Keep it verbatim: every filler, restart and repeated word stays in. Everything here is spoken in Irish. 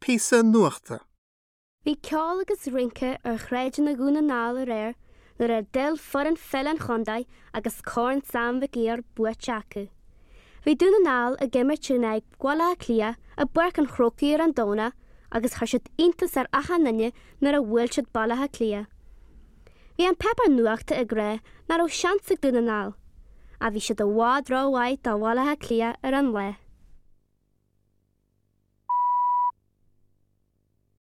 Píosa nuachta. Bhí ceol agus rince ar shráideanna Dhún na nGall aréir nuair a d'fhill foireann pheile an chontae agus Corn Sam Mhig Uidhir buaite acu. Bhí Dún na nGall ag imirt in aghaidh Bhaile Átha Cliath i bPáirc an Chrócaigh ar an Domhnach agus chuir siad iontas ar achan duine nuair a bhuail siad Baile Átha Cliath. Bhí an páipéar nuachta ag rá nach raibh seans ag Dún na nGall, ach bhí siad i bhfad rómhaith do Bhaile Átha Cliath ar an lá.